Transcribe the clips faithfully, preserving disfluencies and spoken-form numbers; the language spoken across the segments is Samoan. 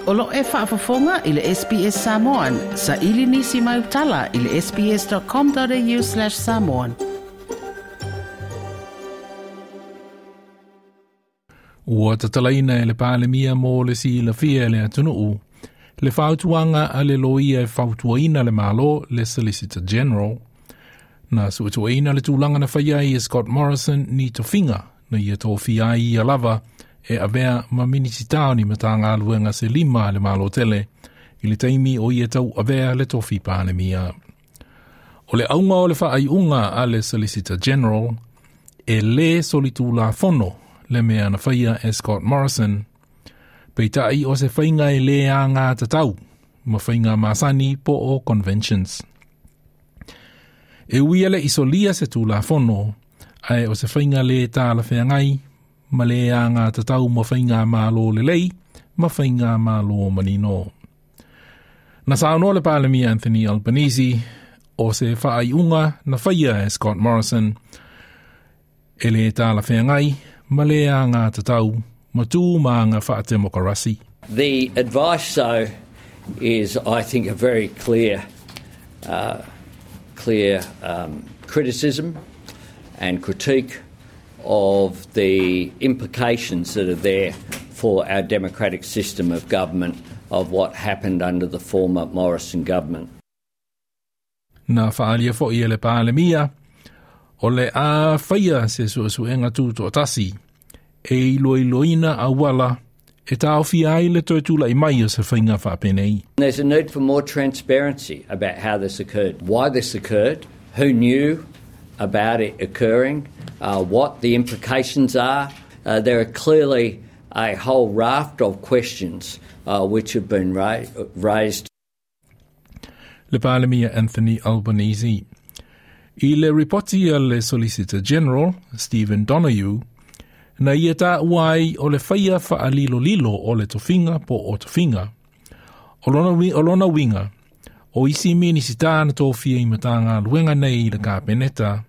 O lo e faafofoga i le S B S Samoan, sa ili nisi mai utala i le S B S dot com dot A U slash samoan. Ua tatalaina e le Palemia mo le silafia e le atunuu le fautuaga a le loia e fautuaina le Malo, le Solicitor General, na suetueina le tulaga na faia ai e Scott Morrison ni tofiga na ia tofia ai ia lava e avea ma minisita o ni Matagaluega se lima a le Malo tele i le taimi o ia tau avea le tofi Palemia. O le auga o le faaiuga a le Solicitor General, e lē solitulafono le mea na faia e Scott Morrison, peitai o se faiga e lē agatatau ma faiga masani po o conventions. E ui e le i solia se tulafono, ae o se faiga lē talafeagai ma lē agatatau ma faiga malo lelei ma faiga malo manino. Na saunoa le Palemia Anthony Albanese o se faaiuga na faia e Scott Morrison e lē talafeagai ma lē agatatau ma tu ma aga faatemokarasi. The advice, though, is, I think, a very clear, uh, clear um, criticism and critique of the implications that are there for our democratic system of government of what happened under the former Morrison government. Na faaalia fo'i e le Palemia, o le a faia se suesuega tutoatasi e iloiloina auala e taofia ai le toe tula'i mai o se faiga faapenei. There's a need for more transparency about how this occurred, why this occurred, who knew about it occurring, uh, what the implications are. Uh, there are clearly a whole raft of questions uh, which have been ra- raised. Le Palemia Anthony Albanese. I le ripoti a le Solicitor General, Stephen Donoghue, na ia taua ai o le faia faalilolilo o le tofiga po o tofiga. O lona, o lona uiga, o isi minisita na tofia i Matagaluega nei i le Kapeneta,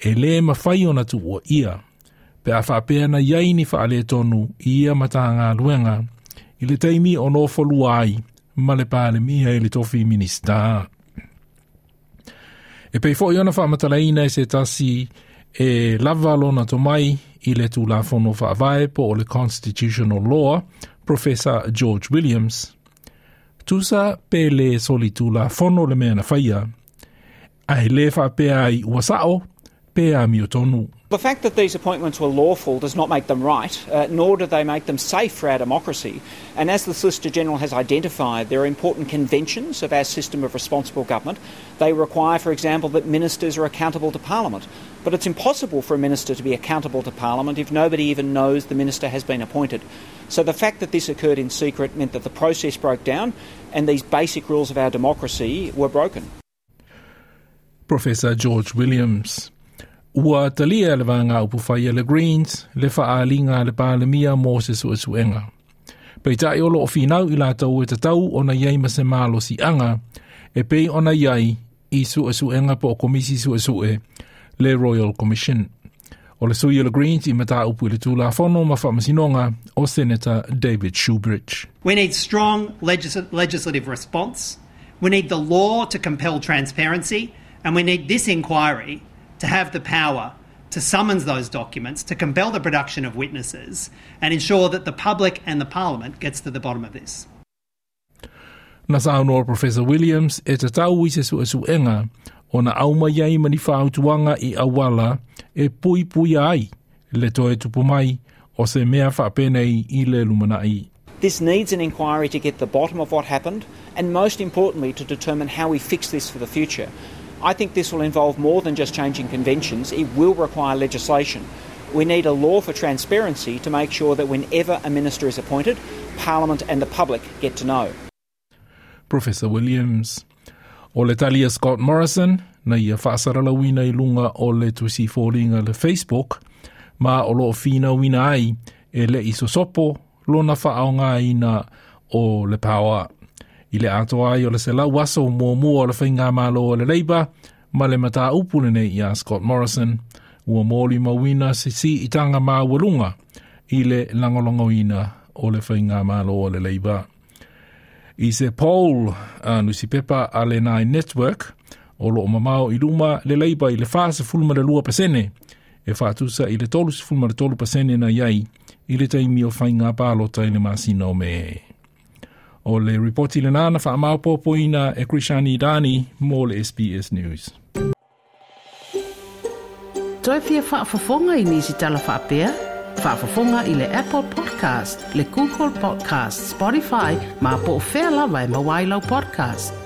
e lē mafai ona tuuaia, pe a faapea na iai ni faaletonu i ia Matagaluega i le taimi o nofolua ai ma le Palemia i le tofi minisita. E pei fo'i ona faamatalaina e se tasi e lava lona tomai i le tulafono faavae po o le constitutional law, Professor George Williams, tusa pe lē solitulafono le mea na faia, ae lē faapea ai ua sa'o pe amiotonu. The fact that these appointments were lawful does not make them right, uh, nor do they make them safe for our democracy. And as the Solicitor General has identified, there are important conventions of our system of responsible government. They require, for example, that ministers are accountable to Parliament. But it's impossible for a minister to be accountable to Parliament if nobody even knows the minister has been appointed. So the fact that this occurred in secret meant that the process broke down and these basic rules of our democracy were broken. Professor George Williams. Ua talia le Vaega Upufai a le Greens le faaaliga a le Palemia mo se suesuega. Peitai o loo finau i latou e tatau ona iai ma se malosiaga e pei ona iai i suesuega po o komisi suesue, le Royal Commission. O le sui o le Greens i mataupu i le tulafono ma faamasinoga o Senator David Shoebridge. We need strong legis- legislative response. We need the law to compel transparency, and we need this inquiry to have the power to summons those documents, to compel the production of witnesses, and ensure that the public and the parliament gets to the bottom of this. Na saunoa Professor Williams e tatau i se suesuega ona aumai ai ma ni fautuaga i auala e puipuia ai le toe tupu mai o se mea faapenei i le lumanai. This needs an inquiry to get the bottom of what happened and, most importantly, to determine how we fix this for the future. I think this will involve more than just changing conventions. It will require legislation. We need a law for transparency to make sure that whenever a minister is appointed, Parliament and the public get to know. Professor Williams. O le tali a Scott Morrison, na ia faasalalauina i luga o le tusi foliga le Facebook, ma o loo finauina ai e le i sosopo lona faaaogaina o le paoa. I le atoa ai o le selau aso muamua o le faigamalo o le Labour ma le mataupu lenei ia Scott Morrison, ua molimauina se siitaga maualuga i le lagolagoina o le faigamalo o le Labour. I se poll a nusipepa a le Nine Network, o loo mamao i luma le Labour i le fasefulu ma le lua pasene, e faatusa i le tolusefulu ma le tolu pasene na iai i le taimi o faiga palota i le masina o Me. O le ripoti lenā na faamaopoopoina e Krishani Dani mo le S B S News. Toe fia faafofoga i nisi tala faapea? Faafofoga i le Apple Podcast, le Google Podcast, Spotify, ma po o fea lava e maua ai lau podcast.